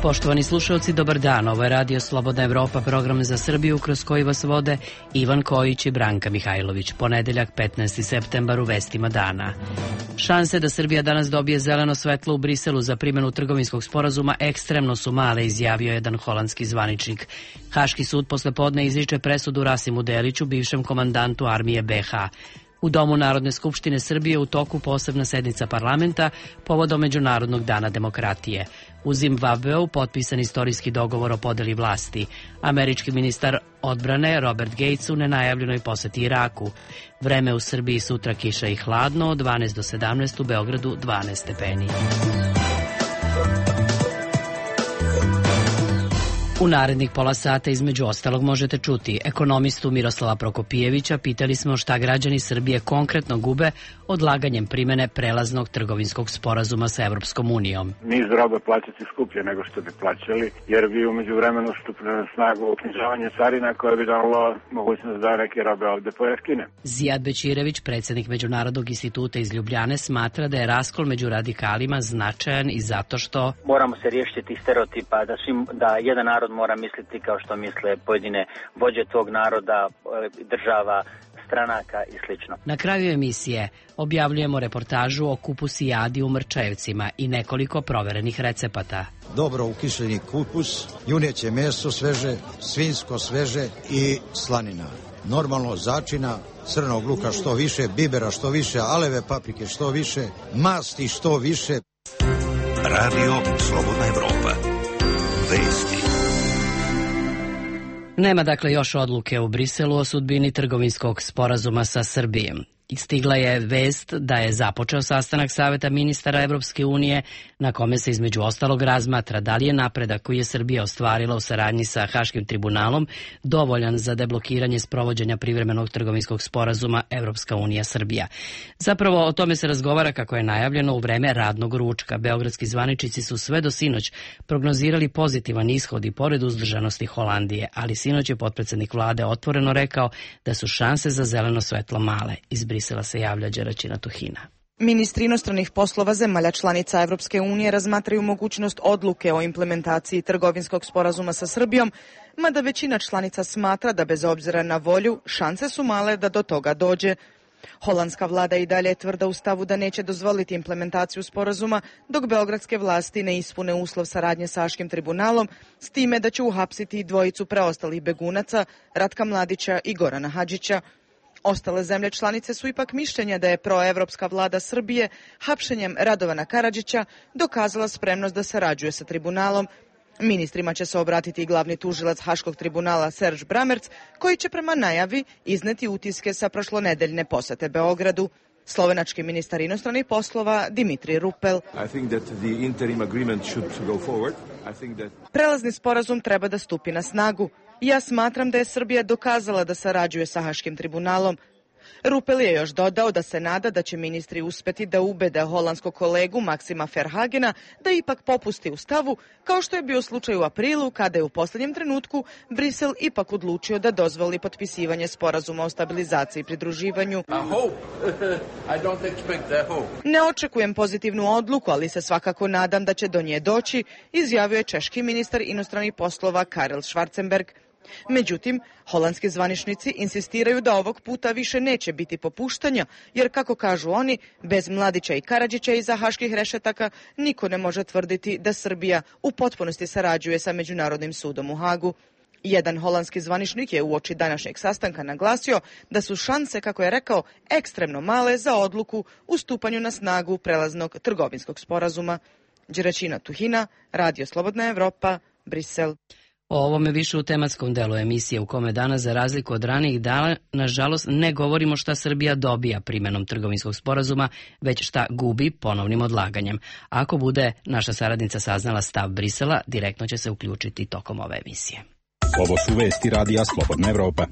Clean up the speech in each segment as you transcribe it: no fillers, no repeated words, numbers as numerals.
Poštovani slušalci, dobar dan. Ovo je Radio Slobodna Evropa, program za Srbiju kroz koji vas vode Ivan Kojić i Branka Mihajlović. Ponedeljak, 15. septembar, u vestima dana. Šanse da Srbija danas dobije zeleno svetlo u Briselu za primjenu trgovinskog sporazuma ekstremno su male, izjavio jedan holandski zvaničnik. Haški sud posle podne izriče presudu Rasimu Deliću, bivšem komandantu armije BiH. U Domu Narodne skupštine Srbije u toku posebna sednica parlamenta povodom Međunarodnog dana demokratije. U Zimbabveu potpisan istorijski dogovor o podeli vlasti. Američki ministar odbrane Robert Gates u nenajavljenoj poseti Iraku. Vreme u Srbiji sutra kiša i hladno, od 12 do 17, u Beogradu 12 stepeni. U narednih pola sata između ostalog možete čuti ekonomistu Miroslava Prokopijevića. Pitali smo šta građani Srbije konkretno gube odlaganjem primene prelaznog trgovinskog sporazuma sa Evropskom unijom. Niz robe plaćati skuplje nego što bi plaćali, jer bi u međuvremenu stupilo na snagu uknjižavanje carina koje bi dalo mogućnost da neke robe ovde pojeftine. Zijad Bećirević, predsjednik Međunarodnog instituta iz Ljubljane, smatra da je raskol među radikalima značajan i zato što moramo se riješiti tih stereotipa da jedan narod mora misliti kao što misle pojedine vođe tog naroda, država, stranaka i slično. Na kraju emisije objavljujemo reportažu o kupusijadi u Mrčajevcima i nekoliko proverenih recepata. Dobro ukišljeni kupus, juneće meso sveže, svinjsko sveže i slanina. Normalno začina, crnog luka što više, bibera što više, aleve paprike što više, masti što više. Radio Slobodna Evropa. Vesti. Nema dakle još odluke u Briselu o sudbini trgovinskog sporazuma sa Srbijom. Stigla je vest da je započeo sastanak Saveta ministara Evropske unije na kome se između ostalog razmatra da li je napredak koji je Srbija ostvarila u saradnji sa Haškim tribunalom dovoljan za deblokiranje sprovođenja privremenog trgovinskog sporazuma Evropska unija Srbija. Zapravo o tome se razgovara kako je najavljeno u vreme radnog ručka. Beogradski zvaničnici su sve do sinoć prognozirali pozitivan ishod i pored uzdržanosti Holandije, ali sinoć je potpredsednik vlade otvoreno rekao da su šanse za zeleno svetlo male. Iz Brisela se javlja Đeračina Tuhina. Ministri inostranih poslova zemalja članica Evropske unije razmatraju mogućnost odluke o implementaciji trgovinskog sporazuma sa Srbijom, mada većina članica smatra da bez obzira na volju šanse su male da do toga dođe. Holandska vlada i dalje je tvrda u stavu da neće dozvoliti implementaciju sporazuma dok beogradske vlasti ne ispune uslov saradnje sa Haškim tribunalom, s time da će uhapsiti dvojicu preostalih begunaca, Ratka Mladića i Gorana Hadžića. Ostale zemlje članice su ipak mišljenja da je proevropska vlada Srbije hapšenjem Radovana Karadžića dokazala spremnost da sarađuje sa tribunalom. Ministrima će se obratiti i glavni tužilac Haškog tribunala Serge Bramerc, koji će prema najavi izneti utiske sa prošlonedeljne posete Beogradu. Slovenački ministar inostranih poslova Dimitri Rupel. Prelazni sporazum treba da stupi na snagu. Ja smatram da je Srbija dokazala da sarađuje sa Haškim tribunalom. Rupel je još dodao da se nada da će ministri uspeti da ubede holandskog kolegu Maksima Verhagena da ipak popusti u stavu, kao što je bio slučaj u aprilu kada je u posljednjem trenutku Brisel ipak odlučio da dozvoli potpisivanje sporazuma o stabilizaciji i pridruživanju. Ne očekujem pozitivnu odluku, ali se svakako nadam da će do nje doći, izjavio je češki ministar inostranih poslova Karel Schwarzenberg. Međutim, holandski zvaničnici insistiraju da ovog puta više neće biti popuštanja, jer kako kažu oni, bez Mladića i Karadžića iza haških rešetaka niko ne može tvrditi da Srbija u potpunosti sarađuje sa Međunarodnim sudom u Hagu. Jedan holandski zvaničnik je uoči današnjeg sastanka naglasio da su šanse, kako je rekao, ekstremno male za odluku u stupanju na snagu prelaznog trgovinskog sporazuma. Đeračina Tuhina, Radio Slobodna Evropa, Brisel. O ovome više u tematskom delu emisije u kome danas, za razliku od ranijih dana, nažalost ne govorimo šta Srbija dobija primjenom trgovinskog sporazuma, već šta gubi ponovnim odlaganjem. Ako bude naša saradnica saznala stav Brisela, direktno će se uključiti tokom ove emisije. Ovo su vesti Radija Slobodna Evropa.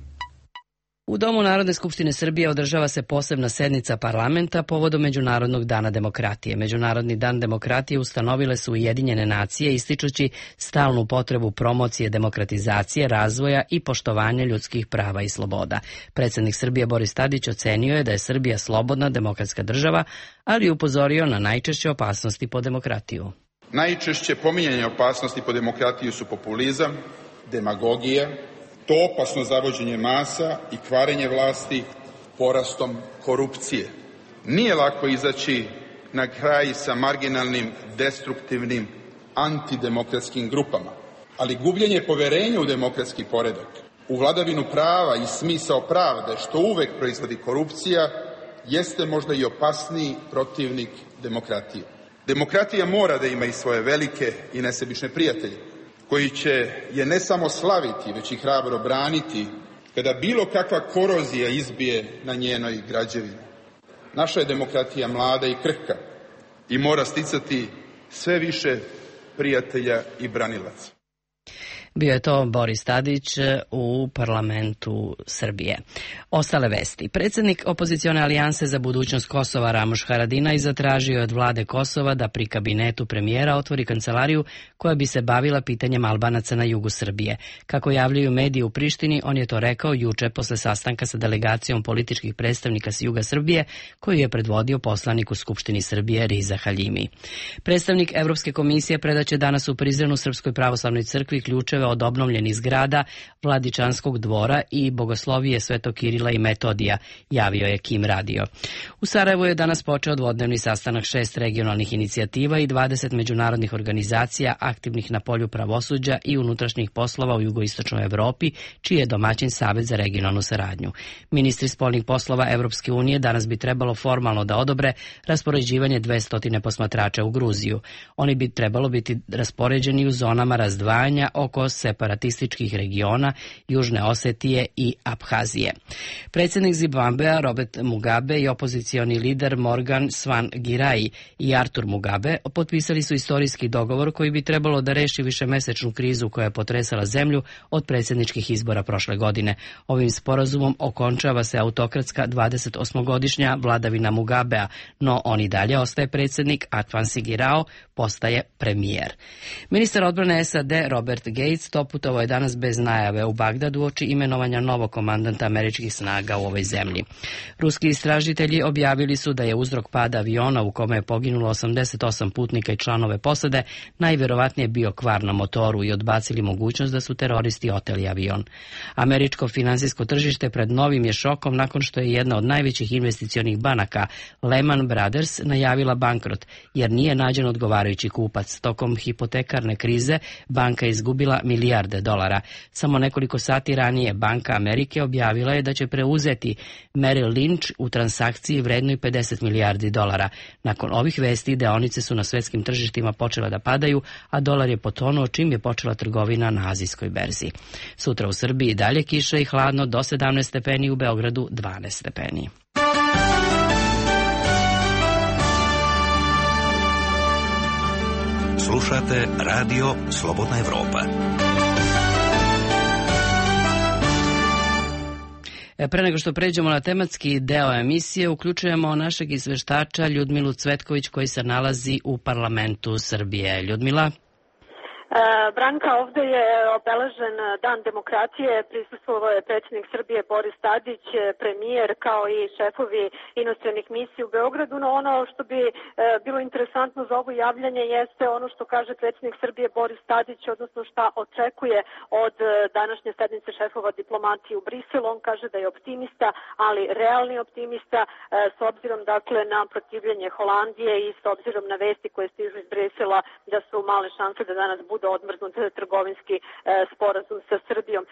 U Domu Narodne skupštine Srbije održava se posebna sednica parlamenta povodom Međunarodnog dana demokratije. Međunarodni dan demokratije ustanovile su Ujedinjene nacije ističući stalnu potrebu promocije demokratizacije, razvoja i poštovanja ljudskih prava i sloboda. Predsjednik Srbije Boris Tadić ocenio je da je Srbija slobodna demokratska država, ali upozorio na najčešće opasnosti po demokratiju. Najčešće pominjanje opasnosti po demokratiju su populizam, demagogija, to opasno zavođenje masa i kvarenje vlasti porastom korupcije. Nije lako izaći na kraj sa marginalnim, destruktivnim, antidemokratskim grupama, ali gubljenje poverenja u demokratski poredak, u vladavinu prava i smisao pravde, što uvek proizvodi korupcija, jeste možda i opasniji protivnik demokratije. Demokratija mora da ima i svoje velike i nesebične prijatelje, koji će je ne samo slaviti, već i hrabro braniti kada bilo kakva korozija izbije na njenoj građevini. Naša je demokratija mlada i krhka i mora sticati sve više prijatelja i branilaca. Bio je to Boris Tadić u parlamentu Srbije. Ostale vesti. Predsjednik opozicione alijanse za budućnost Kosova Ramuš Haradinaj zatražio je od vlade Kosova da pri kabinetu premijera otvori kancelariju koja bi se bavila pitanjem Albanaca na jugu Srbije. Kako javljaju mediji u Prištini, on je to rekao juče posle sastanka sa delegacijom političkih predstavnika s juga Srbije koju je predvodio poslanik u Skupštini Srbije Riza Haljimi. Predstavnik Evropske komisije predaće danas u Prizrenu Srpskoj pravoslavnoj crkvi ključeve od obnovljenih zgrada Vladičanskog dvora i bogoslovije Svetog Kirila i Metodija, javio je Kim Radio. U Sarajevu je danas počeo dvodnevni sastanak 6 regionalnih inicijativa i 20 međunarodnih organizacija aktivnih na polju pravosuđa i unutrašnjih poslova u jugoistočnoj Evropi, čiji je domaćin Savet za regionalnu saradnju. Ministri spoljnih poslova Evropske unije danas bi trebalo formalno da odobre raspoređivanje 200 posmatrača u Gruziju. Oni bi trebalo biti raspoređeni u zonama razdvajanja oko separatističkih regiona Južne Osetije i Abhazije. Predsjednik Zimbabvea Robert Mugabe i opozicioni lider Morgan Tsvangirai i Artur Mugabe potpisali su istorijski dogovor koji bi trebalo da reši višemesečnu krizu koja je potresala zemlju od predsjedničkih izbora prošle godine. Ovim sporazumom okončava se autokratska 28-godišnja vladavina Mugabea, no on i dalje ostaje predsjednik, a Tsvangirai postaje premijer. Ministar odbrane SAD Robert Gates doputovao je danas bez najave u Bagdadu uoči imenovanja novog komandanta američkih snaga u ovoj zemlji. Ruski istražitelji objavili su da je uzrok pada aviona u kome je poginulo 88 putnika i članove posade najvjerovatnije bio kvar na motoru i odbacili mogućnost da su teroristi oteli avion. Američko finansijsko tržište pred novim je šokom nakon što je jedna od najvećih investicionih banaka, Lehman Brothers, najavila bankrot jer nije nađen odgovarajući kupac. Tokom hipotekarne krize banka je izgubila milijarde dolara. Samo nekoliko sati ranije Banka Amerike objavila je da će preuzeti Merrill Lynch u transakciji vrednoj 50 milijardi dolara. Nakon ovih vesti deonice su na svjetskim tržištima počela da padaju, a dolar je potonuo čim je počela trgovina na azijskoj berzi. Sutra u Srbiji dalje kiša i hladno do 17 stepeni, u Beogradu 12 stepeni. Slušate Radio Slobodna Evropa. Pre nego što pređemo na tematski deo emisije, uključujemo našeg izveštača Ljudmilu Cvetković koji se nalazi u parlamentu Srbije. Ljudmila? Branka, ovdje je obeležen Dan demokratije, prisustvovao je predsjednik Srbije Boris Tadić, premijer kao i šefovi inostranih misija u Beogradu, no ono što bi bilo interesantno za ovo javljanje jeste ono što kaže predsjednik Srbije Boris Tadić, odnosno šta očekuje od današnje sednice šefova diplomatije u Briselu. On kaže da je optimista, ali realni optimista s obzirom dakle na protivljenje Holandije i s obzirom na vesti koje stižu iz Brisela da su male šanse da danas bude odmrznut trgovinski sporazum sa Srbijom.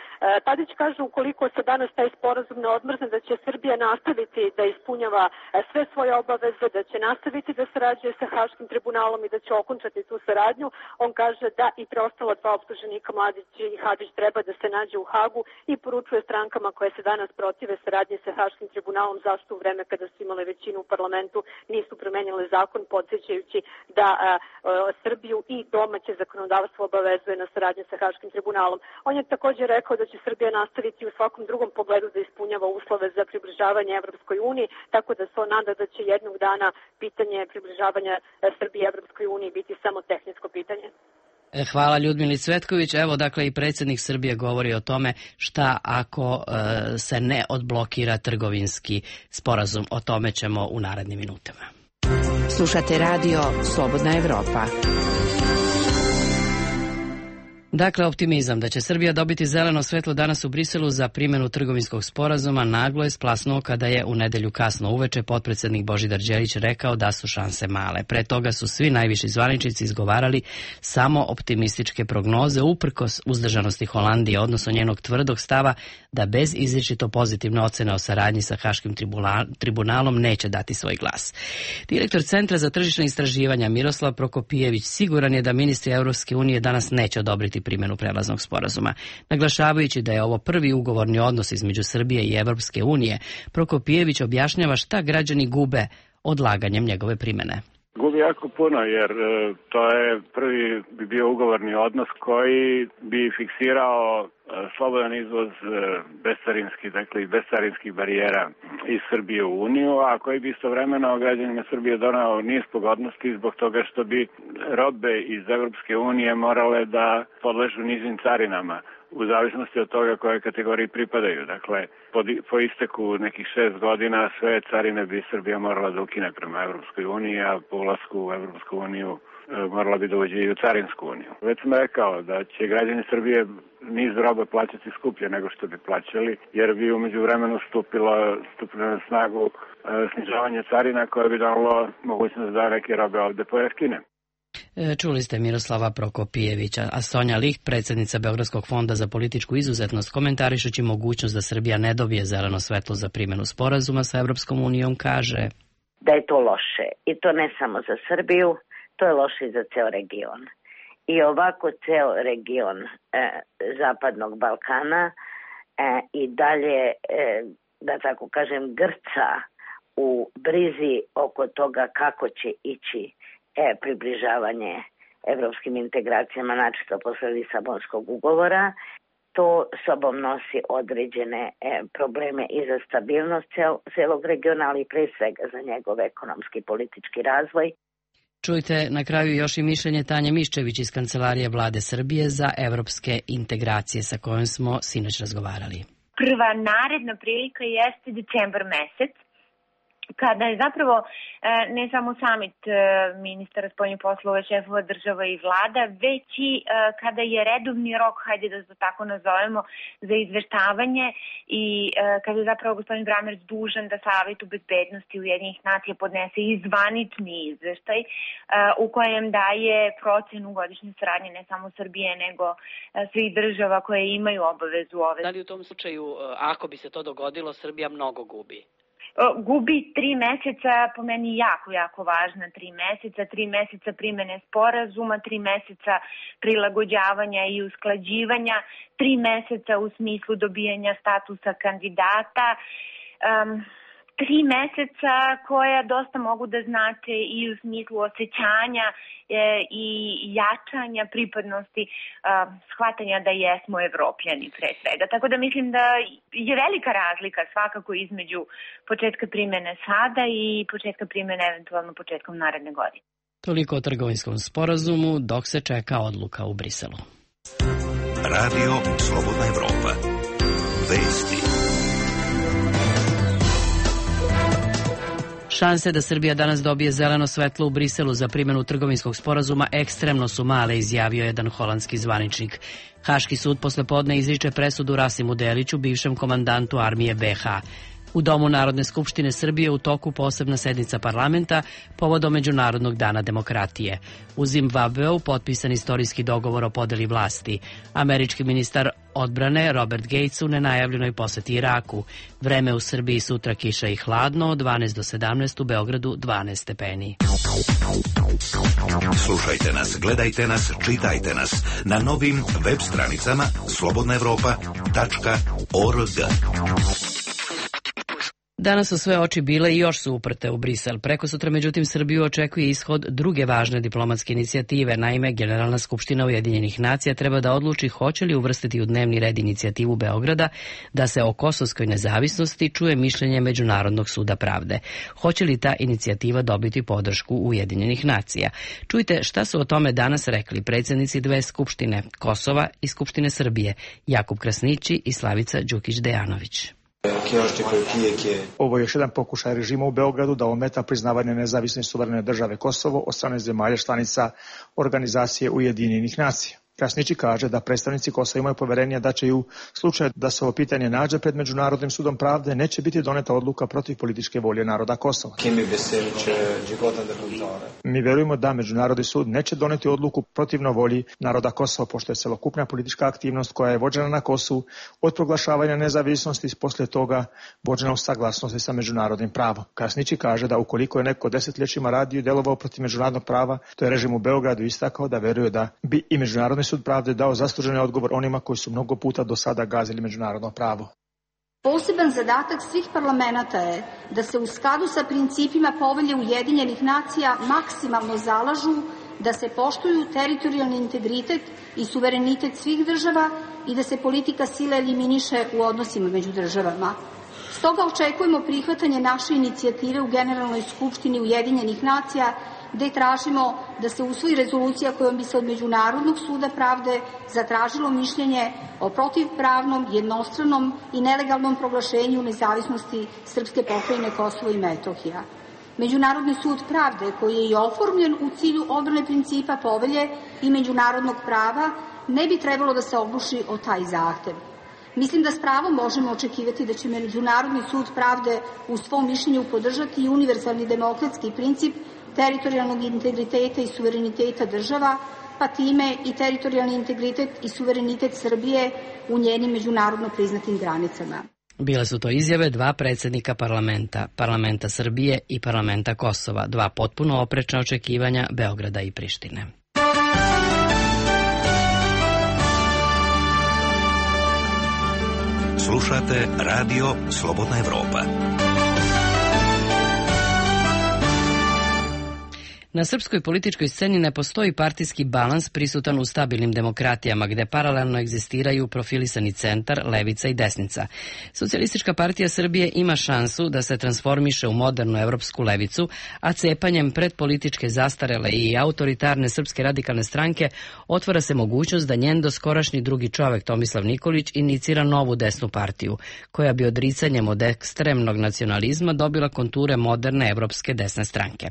Tadić kaže ukoliko se danas taj sporazum ne odmrzne da će Srbija nastaviti da ispunjava sve svoje obaveze, da će nastaviti da sarađuje sa Haškim tribunalom i da će okončati tu saradnju. On kaže da i preostala dva optuženika Mladić i Hadžić treba da se nađe u Hagu i poručuje strankama koje se danas protive saradnje sa Haškim tribunalom zašto u vreme kada su imale većinu u parlamentu nisu promenjale zakon, podsjećajući da Srbiju i domaće zakonodavstvo obavezuje na saradnje sa Haškim tribunalom. On je također rekao da će Srbija nastaviti u svakom drugom pogledu da ispunjava uslove za približavanje Evropskoj uniji, tako da se on nada da će jednog dana pitanje približavanja Srbije Evropskoj uniji biti samo tehničko pitanje. Hvala Ljudmili Cvetković. Evo, dakle, i predsjednik Srbije govori o tome šta ako se ne odblokira trgovinski sporazum. O tome ćemo u narednim minutama. Slušate radio Slobodna Evropa. Dakle, optimizam da će Srbija dobiti zeleno svetlo danas u Briselu za primjenu trgovinskog sporazuma naglo je splasnuo kada je u nedelju kasno uveče potpredsednik Božidar Đelić rekao da su šanse male. Pre toga su svi najviši zvaničnici izgovarali samo optimističke prognoze uprkos uzdržanosti Holandije, odnosno njenog tvrdog stava da bez izričito pozitivne ocene o saradnji sa Haškim tribunalom neće dati svoj glas. Direktor Centra za tržišne istraživanja Miroslav Prokopijević siguran je da ministri Evropske unije danas neće odobriti primjenu prelaznog sporazuma. Naglašavajući da je ovo prvi ugovorni odnos između Srbije i Evropske unije, Prokopijević objašnjava šta građani gube odlaganjem njegove primjene. Gubi jako puno jer to je prvi bi bio ugovorni odnos koji bi fiksirao slobodan izvoz bescarinskih, dakle i bescarinskih barijera iz Srbije u Uniju, a koji bi istovremeno građanima Srbije donao niz pogodnosti zbog toga što bi robe iz Evropske unije morale da podležu nizim carinama u zavisnosti od toga koje kategoriji pripadaju. Dakle, po isteku nekih 6 godina sve carine bi Srbija morala da ukine prema Evropskoj uniji, a po ulasku u Evropsku uniju morala bi da uđe i u Carinsku uniju. Već sam rekao da će građani Srbije niz roba plaćati skuplje nego što bi plaćali, jer bi umeđu vremenu stupilo na snagu snižavanje carina koje bi dalo mogućnost da neke robe ovde pojeftine. Čuli ste Miroslava Prokopijevića, a Sonja Licht, predsjednica Beogradskog fonda za političku izuzetnost, komentarišući mogućnost da Srbija ne dobije zeleno svetlo za primjenu sporazuma sa Evropskom unijom, kaže da je to loše. I to ne samo za Srbiju, to je loše i za ceo region. I ovako ceo region Zapadnog Balkana i dalje, da tako kažem, grca u brizi oko toga kako će ići približavanje evropskim integracijama, načisto posle Lisabonskog ugovora. To sobom nosi određene probleme i za stabilnost celog regiona, ali pre svega za njegov ekonomski i politički razvoj. Čujte na kraju još i mišljenje Tanje Miščević iz Kancelarije Vlade Srbije za evropske integracije sa kojom smo sinoć razgovarali. Prva naredna prilika jeste decembar mesec, kada je zapravo ne samo samit ministara spoljnih poslova, šefova država i vlada, već i kada je redovni rok, hajde da to tako nazovemo, za izveštavanje i kada je zapravo gospodin Bramerc dužan da Savetu bezbednosti Ujedinjenih nacija podnese i zvanični izveštaj u kojem daje procenu godišnje saradnje ne samo Srbije, nego svih država koje imaju obavezu ove. Da li u tom slučaju, ako bi se to dogodilo, Srbija mnogo gubi? Gubi 3 meseca, po meni jako važna 3 meseca, 3 meseca primene sporazuma, 3 meseca prilagođavanja i usklađivanja, 3 meseca u smislu dobijanja statusa kandidata, 3 meseca koja dosta mogu da znače i u smislu osjećanja i jačanja pripadnosti, shvatanja da jesmo Evropljani pre svega. Tako da mislim da je velika razlika svakako između početka primene sada i početka primene eventualno početkom naredne godine. Toliko o trgovinskom sporazumu dok se čeka odluka u Briselu. Radio Slobodna Evropa. Vesti. Šanse da Srbija danas dobije zeleno svetlo u Briselu za primjenu trgovinskog sporazuma ekstremno su male, izjavio jedan holandski zvaničnik. Haški sud poslepodne izriče presudu Rasimu Deliću, bivšem komandantu armije BiH. U Domu Narodne skupštine Srbije u toku posebna sednica parlamenta povodom Međunarodnog dana demokratije. U Zimbabveu potpisan istorijski dogovor o podeli vlasti. Američki ministar odbrane Robert Gates u nenajavljenoj poseti Iraku. Vreme u Srbiji sutra kiša i hladno, od 12 do 17, u Beogradu 12 stepeni. Slušajte nas, gledajte nas, čitajte nas na novim web stranicama slobodnaevropa.org. Danas su sve oči bile i još su uprte u Brisel. Prekosutra, međutim, Srbiju očekuje ishod druge važne diplomatske inicijative. Naime, Generalna skupština Ujedinjenih nacija treba da odluči hoće li uvrstiti u dnevni red inicijativu Beograda da se o kosovskoj nezavisnosti čuje mišljenje Međunarodnog suda pravde. Hoće li ta inicijativa dobiti podršku Ujedinjenih nacija? Čujte šta su o tome danas rekli predsjednici dve skupštine, Kosova i Skupštine Srbije, Jakub Krasnići i Slavica Đukić-Dejanović. Ovo je još jedan pokušaj režima u Beogradu da ometa priznavanje nezavisne suverene države Kosovo od strane zemalja članica Organizacije Ujedinjenih nacija. Krasnići kaže da predstavnici Kosova imaju poverenja da će i u slučaju da se ovo pitanje nađe pred Međunarodnim sudom pravde neće biti doneta odluka protiv političke volje naroda Kosova. Mi verujemo da Međunarodni sud neće doneti odluku protivno volji naroda Kosova, pošto je celokupna politička aktivnost koja je vođena na Kosovu od proglašavanja nezavisnosti poslije toga vođena u saglasnosti sa međunarodnim pravom. Krasnići kaže da ukoliko je neko desetljećima radio i delovao protiv međunarodnog prava, to je režim u Beogradu istakao da veruje da bi i Međunarodni sud pravde dao zasluženi odgovor onima koji su mnogo puta do sada gazili međunarodno pravo. Poseban zadatak svih parlamenata je da se u skladu sa principima Povelje Ujedinjenih nacija maksimalno zalažu da se poštuju teritorijalni integritet i suverenitet svih država i da se politika sile eliminiše u odnosima među državama. Stoga očekujemo prihvatanje naše inicijative u Generalnoj skupštini Ujedinjenih nacija, gde tražimo da se usvoji rezolucija kojom bi se od Međunarodnog suda pravde zatražilo mišljenje o protivpravnom, jednostranom i nelegalnom proglašenju nezavisnosti Srpske pokrajine Kosovo i Metohija. Međunarodni sud pravde, koji je i oformljen u cilju odbrane principa Povelje i međunarodnog prava, ne bi trebalo da se ogluši o taj zahtev. Mislim da s pravom možemo očekivati da će Međunarodni sud pravde u svom mišljenju podržati i univerzalni demokratski princip teritorijalnog integriteta i suvereniteta država, pa time i teritorijalni integritet i suverenitet Srbije u njenim međunarodno priznatim granicama. Bile su to izjave dva predsjednika parlamenta Srbije i parlamenta Kosova, dva potpuno oprečna očekivanja Beograda i Prištine. Slušate Radio Slobodna Evropa. Na srpskoj političkoj sceni ne postoji partijski balans prisutan u stabilnim demokratijama, gde paralelno egzistiraju profilisani centar, levica i desnica. Socijalistička partija Srbije ima šansu da se transformiše u modernu evropsku levicu, a cepanjem pred političke zastarele i autoritarne Srpske radikalne stranke otvara se mogućnost da njen doskorašnji drugi čovek Tomislav Nikolić inicira novu desnu partiju, koja bi odricanjem od ekstremnog nacionalizma dobila konture moderne evropske desne stranke.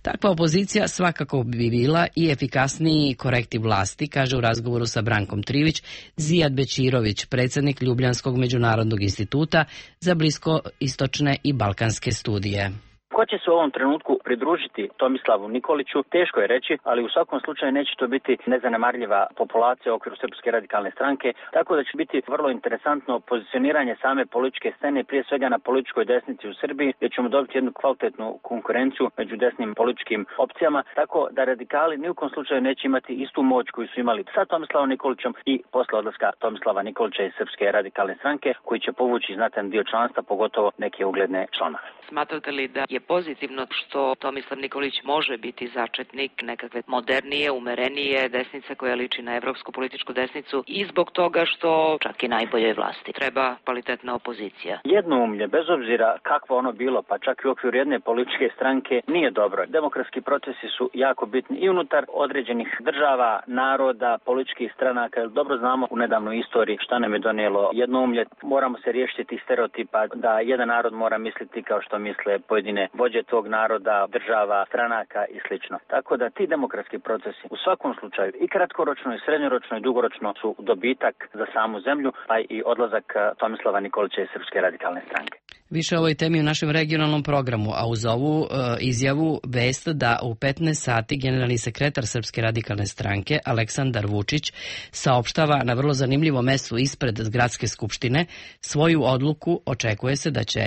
Takva opozicija svakako bi bila i efikasniji korektiv vlasti, kaže u razgovoru sa Brankom Trivić Zijad Bećirović, predsjednik Ljubljanskog međunarodnog instituta za bliskoistočne i balkanske studije. Ko će se u ovom trenutku pridružiti Tomislavu Nikoliću, teško je reći, ali u svakom slučaju neće to biti nezanemarljiva populacija u okviru Srpske radikalne stranke, tako da će biti vrlo interesantno pozicioniranje same političke scene, prije svega na političkoj desnici u Srbiji, gdje ćemo dobiti jednu kvalitetnu konkurenciju među desnim političkim opcijama, tako da radikali ni u kom slučaju neće imati istu moć koju su imali sa Tomislavom Nikolićem i posle odlaska Tomislava Nikolića iz Srpske radikalne stranke, koji će povući znatan dio članstva, pogotovo neke ugledne članove. Smatrate li da je pozitivno što Tomislav Nikolić može biti začetnik nekakve modernije, umerenije desnice koja liči na evropsku političku desnicu i zbog toga što čak i najboljoj vlasti treba kvalitetna opozicija? Jednoumlje, bez obzira kakvo ono bilo, pa čak i u okviru jedne političke stranke, nije dobro. Demokratski procesi su jako bitni i unutar određenih država, naroda, političkih stranaka. Dobro znamo u nedavnoj istoriji šta nam je donijelo jednoumlje. Moramo se riješiti tih stereotipa da jedan narod mora misliti kao što misle pojedine vođe tog naroda, država, stranaka i slično. Tako da ti demokratski procesi u svakom slučaju i kratkoročno i srednjoročno i dugoročno su dobitak za samu zemlju, pa i odlazak Tomislava Nikolića iz Srpske radikalne stranke. Više o ovoj temi u našem regionalnom programu, a uz ovu izjavu vest da u 15 sati generalni sekretar Srpske radikalne stranke Aleksandar Vučić saopštava na vrlo zanimljivom mestu ispred Gradske skupštine svoju odluku. Očekuje se da će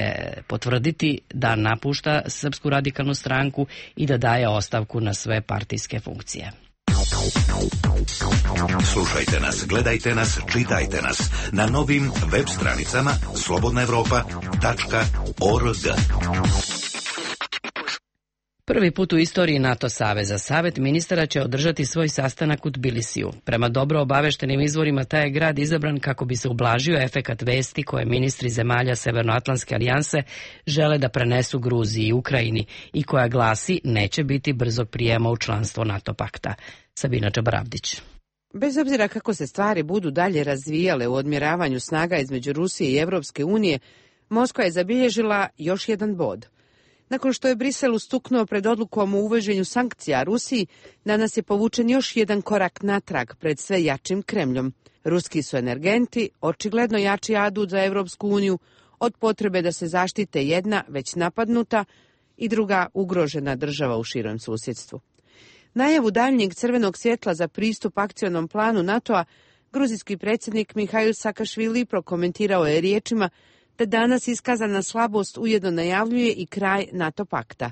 potvrditi da napušta Srpsku radikalnu stranku i da daje ostavku na sve partijske funkcije. Slušajte nas, gledajte nas, čitajte nas na novim web stranicama slobodnaevropa.org. Prvi put u istoriji NATO saveza Savet ministara će održati svoj sastanak u Tbilisiju. Prema dobro obaveštenim izvorima, taj je grad izabran kako bi se ublažio efekat vesti koje ministri zemalja Severnoatlantske alijanse žele da prenesu Gruziji i Ukrajini i koja glasi neće biti brzog prijema u članstvo NATO pakta. Sabina Čabaravdić. Bez obzira kako se stvari budu dalje razvijale u odmjeravanju snaga između Rusije i Evropske unije, Moskva je zabilježila još jedan bod. Nakon što je Brisel ustuknuo pred odlukom o uvođenju sankcija Rusiji, danas je povučen još jedan korak natrag pred sve jačim Kremljom. Ruski su energenti očigledno jači adut za Evropsku uniju od potrebe da se zaštite jedna već napadnuta i druga ugrožena država u širem susjedstvu. Najavu daljnjeg crvenog svjetla za pristup akcionom planu NATO-a gruzijski predsjednik Mihail Sakašvili prokomentirao je riječima da danas iskazana slabost ujedno najavljuje i kraj NATO pakta.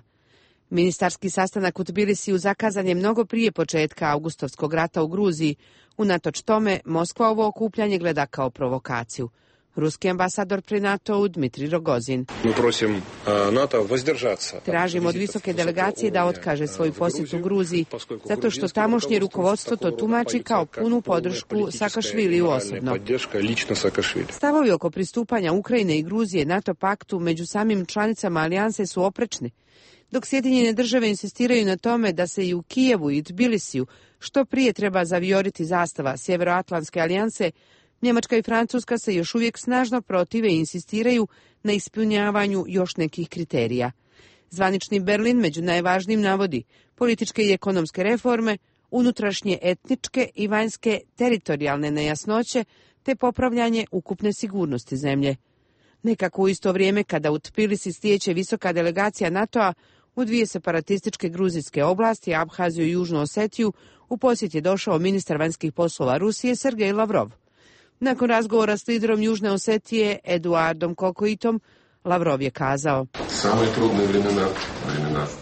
Ministarski sastanak u Tbilisiju zakazan je mnogo prije početka augustovskog rata u Gruziji. Unatoč tome, Moskva ovo okupljanje gleda kao provokaciju. Ruski ambasador pri NATO-u Dmitrij Rogozin. Tražimo od visoke delegacije da otkaže svoju posjetu Gruziji, zato što tamošnje rukovodstvo to tumači kao punu podršku Sakašviliju osobno. Stavovi oko pristupanja Ukrajine i Gruzije NATO paktu među samim članicama alijanse su oprečni. Dok Sjedinjene države insistiraju na tome da se i u Kijevu i Tbilisiju što prije treba zavijoriti zastava Sjeveroatlantske alijanse, Njemačka i Francuska se još uvijek snažno protive i insistiraju na ispunjavanju još nekih kriterija. Zvanični Berlin među najvažnijim navodi političke i ekonomske reforme, unutrašnje etničke i vanjske teritorijalne nejasnoće te popravljanje ukupne sigurnosti zemlje. Nekako u isto vrijeme kada u Tbilisi stiječe visoka delegacija NATO-a, u dvije separatističke gruzijske oblasti, Abhaziju i Južnu Osetiju, u posjet je došao ministar vanjskih poslova Rusije Sergej Lavrov. Nakon razgovora s liderom Južne Osetije Eduardom Kokoitom, Lavrov je kazao: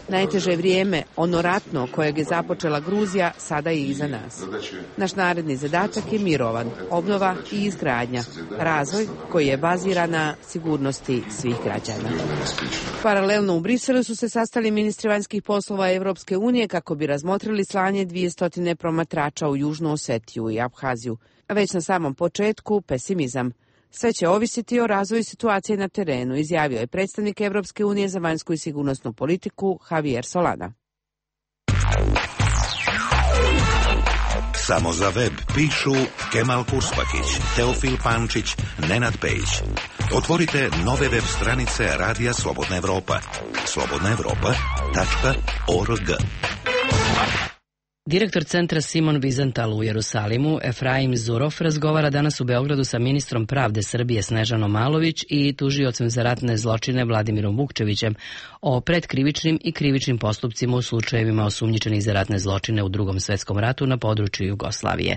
najteže vrijeme, ono ratno kojeg je započela Gruzija, sada je iza nas. Naš naredni zadatak je mirovan, obnova i izgradnja, razvoj koji je baziran na sigurnosti svih građana. Paralelno u Briselu su se sastali ministri vanjskih poslova Evropske unije kako bi razmotrili slanje 200 promatrača u Južnu Osetiju i Abhaziju. Već na samom početku pesimizam. Sve će ovisiti o razvoju situacije na terenu, izjavio je predstavnik Evropske unije za vanjsku i sigurnosnu politiku Javier Solana. Samo za web pišu Kemal Kurspakić, Teofil Pančić, Nenad Pejić. Otvorite nove web stranice Radija Slobodna Evropa. slobodnaevropa.org. Direktor centra Simon Wiesenthal u Jerusalimu, Efraim Zurov, razgovara danas u Beogradu sa ministrom pravde Srbije Snežanom Malović i tužiocem za ratne zločine Vladimirom Vukčevićem o predkrivičnim i krivičnim postupcima u slučajevima osumnjičenih za ratne zločine u Drugom svetskom ratu na području Jugoslavije.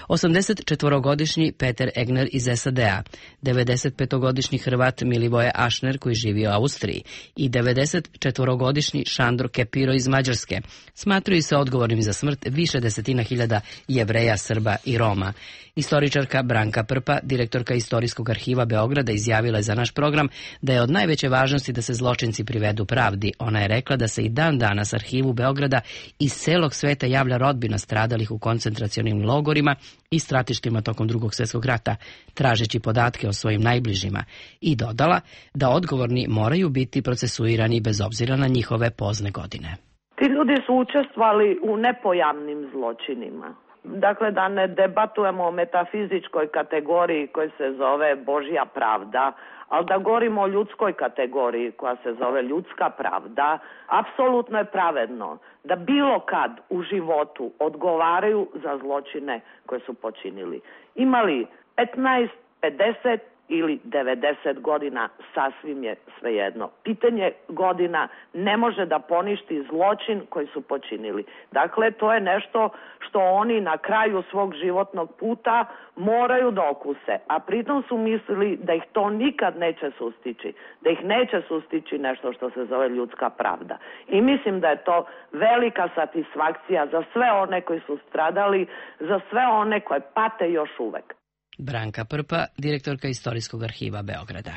84-godišnji Peter Egner iz SAD-a, 95-godišnji Hrvat Milivoje Ašner koji živi u Austriji i 94-godišnji Šandro Kepiro iz Mađarske smatraju se odgovornim za smrt više desetina hiljada Jevreja, Srba i Roma. Istoričarka Branka Prpa, direktorka Istorijskog arhiva Beograda, izjavila je za naš program da je od najveće važnosti da se zločinci privedu pravdi. Ona je rekla da se i dan danas arhivu Beograda iz celog sveta javlja rodbina stradalih u koncentracionim logorima i stratištima tokom Drugog svjetskog rata, tražeći podatke o svojim najbližima, i dodala da odgovorni moraju biti procesuirani bez obzira na njihove pozne godine. Ti ljudi su učestvovali u nepojavnim zločinima. Dakle, da ne debatujemo o metafizičkoj kategoriji koja se zove Božja pravda, ali da govorimo o ljudskoj kategoriji koja se zove ljudska pravda, apsolutno je pravedno da bilo kad u životu odgovaraju za zločine koje su počinili. Imali 15, 50 ili 90 godina, sasvim je svejedno. Pitanje godina ne može da poništi zločin koji su počinili. Dakle, to je nešto što oni na kraju svog životnog puta moraju da okuse, a pritom su mislili da ih to nikad neće sustići, da ih neće sustići nešto što se zove ljudska pravda. I mislim da je to velika satisfakcija za sve one koji su stradali, za sve one koje pate još uvek. Branka Prpa, direktorka Istorijskog arhiva Beograda.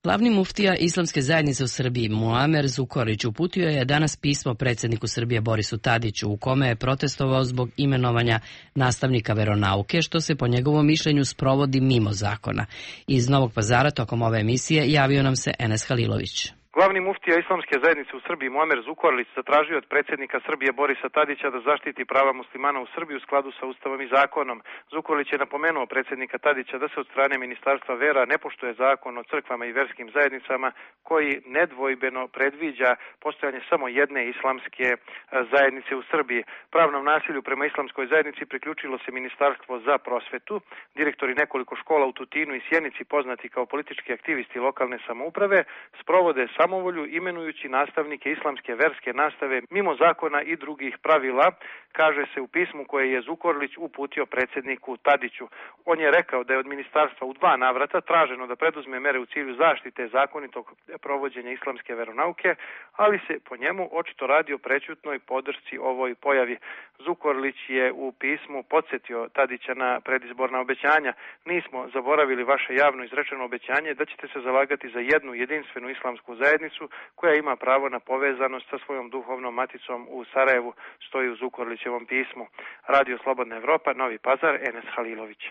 Glavni muftija Islamske zajednice u Srbiji, Muamer Zukorlić, uputio je danas pismo predsjedniku Srbije Borisu Tadiću u kome je protestovao zbog imenovanja nastavnika veronauke, što se po njegovom mišljenju sprovodi mimo zakona. Iz Novog Pazara tokom ove emisije javio nam se Enes Halilović. Glavni muftija Islamske zajednice u Srbiji Muamer Zukorlić zatražio od predsjednika Srbije Borisa Tadića da zaštiti prava muslimana u Srbiji u skladu sa Ustavom i zakonom. Zukorlić je napomenuo predsjednika Tadića da se od strane Ministarstva vera ne poštuje zakon o crkvama i verskim zajednicama koji nedvojbeno predviđa postojanje samo jedne islamske zajednice u Srbiji. Pravnom nasilju prema islamskoj zajednici priključilo se Ministarstvo za prosvetu. Direktori nekoliko škola u Tutinu i Sjenici, poznati kao politički aktivisti lokalne samouprave, sprovode samovolju imenujući nastavnike islamske verske nastave mimo zakona i drugih pravila, kaže se u pismu koje je Zukorlić uputio predsjedniku Tadiću. On je rekao da je od ministarstva u 2 navrata traženo da preduzme mere u cilju zaštite zakonitog provođenja islamske veronauke, ali se po njemu očito radi o prećutnoj podršci ovoj pojavi. Zukorlić je u pismu podsjetio Tadića na predizborna obećanja. Nismo zaboravili vaše javno izrečeno obećanje da ćete se zalagati za jednu jedinstvenu islamsku zajednicu koja ima pravo na povezanost sa svojom duhovnom maticom u Sarajevu, stoji u Zukorlićevom pismu. Radio Slobodna Evropa, Novi Pazar, Enes Halilović.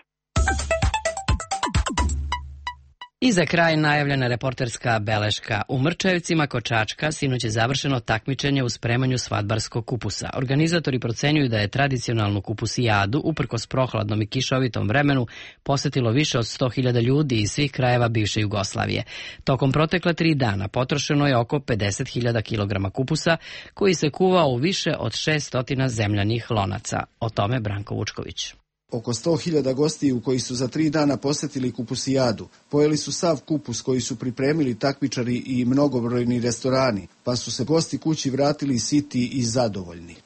I za kraj najavljena reporterska beleška. U Mrčajevcima kod Čačka sinoć je završeno takmičenje u spremanju svadbarskog kupusa. Organizatori procenjuju da je tradicionalnu kupusijadu, uprkos prohladnom i kišovitom vremenu, posetilo više od 100.000 ljudi iz svih krajeva bivše Jugoslavije. Tokom protekla 3 dana potrošeno je oko 50.000 kg kupusa, koji se kuva u više od 600 zemljanih lonaca. O tome Branko Vučković. Oko 100.000 gostiju koji su za 3 dana posetili kupusijadu, pojeli su sav kupus koji su pripremili takmičari i mnogobrojni restorani, pa su se gosti kući vratili siti i zadovoljni.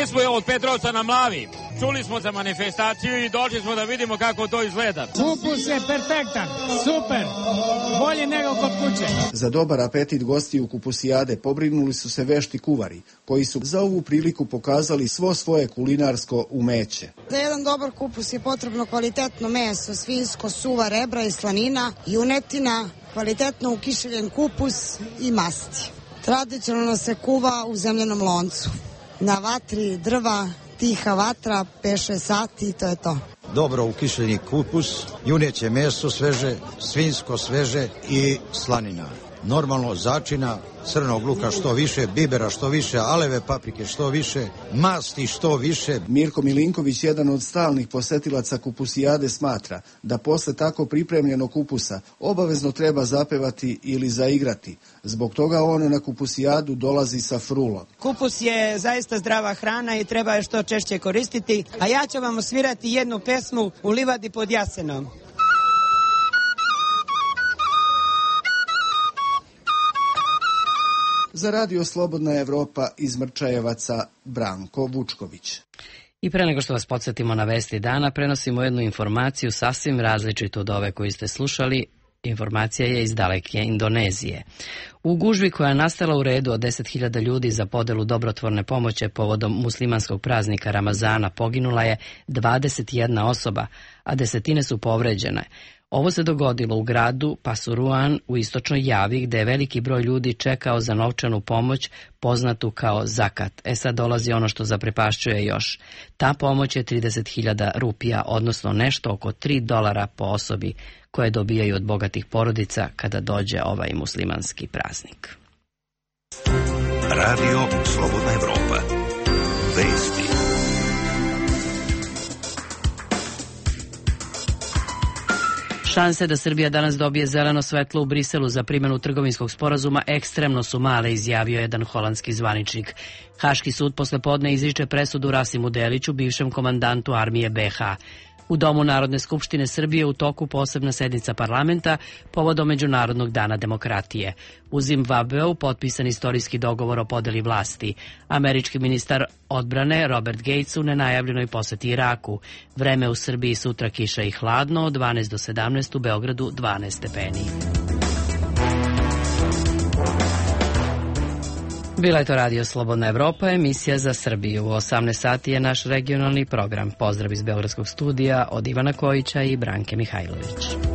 Mi smo od Petrovca na Mlavi, čuli smo za manifestaciju i došli smo da vidimo kako to izgleda. Kupus je perfektan, super, bolji nego kod kuće. Za dobar apetit gostiju kupusijade pobrinuli su se vešti kuvari, koji su za ovu priliku pokazali svo svoje kulinarsko umeće. Za jedan dobar kupus je potrebno kvalitetno meso, svinjsko, suva rebra i slanina, junetina, kvalitetno ukišeljen kupus i masti. Tradicionalno se kuva u zemljanom loncu. Na vatri drva, tiha vatra, 5-6 sati i to je to. Dobro ukišljeni kupus, juneće meso sveže, svinjsko sveže i slanina. Normalno začina, crnog luka što više, bibera što više, aleve paprike što više, masti što više. Mirko Milinković, jedan od stalnih posetilaca kupusijade, smatra da posle tako pripremljenog kupusa obavezno treba zapevati ili zaigrati. Zbog toga on na kupusijadu dolazi sa frulom. Kupus je zaista zdrava hrana i treba je što češće koristiti, a ja ću vam osvirati jednu pesmu U livadi pod jasenom. Za Radio Slobodna Evropa iz Mrčajevaca, Branko Vučković. I pre nego što vas podsjetimo na vesti dana, prenosimo jednu informaciju sasvim različitu od ove koju ste slušali. Informacija je iz daleke Indonezije. U gužvi koja je nastala u redu od 10.000 ljudi za podelu dobrotvorne pomoći povodom muslimanskog praznika Ramazana poginula je 21 osoba, a desetine su povređene. Ovo se dogodilo u gradu Pasuruan u istočnoj Javi, gde je veliki broj ljudi čekao za novčanu pomoć poznatu kao zakat. Sad dolazi ono što zaprepašćuje još. Ta pomoć je 30.000 rupija, odnosno nešto oko $3 po osobi, koje dobijaju od bogatih porodica kada dođe ovaj muslimanski praznik. Radio Slobodna Evropa. Vesti. Šanse da Srbija danas dobije zeleno svetlo u Briselu za primjenu trgovinskog sporazuma ekstremno su male, izjavio jedan holandski zvaničnik. Haški sud posle podne izriče presudu Rasimu Deliću, bivšem komandantu armije BiH. U Domu Narodne skupštine Srbije u toku posebna sednica parlamenta povodom Međunarodnog dana demokratije. U Zimbabveu potpisan istorijski dogovor o podeli vlasti. Američki ministar odbrane Robert Gates u nenajavljenoj poseti Iraku. Vreme u Srbiji sutra kiša i hladno, od 12 do 17, u Beogradu 12 stepeni. Bila je to Radio Slobodna Evropa, emisija za Srbiju. U 18 sati je naš regionalni program. Pozdrav iz Beogradskog studija od Ivana Kojića i Branke Mihajlović.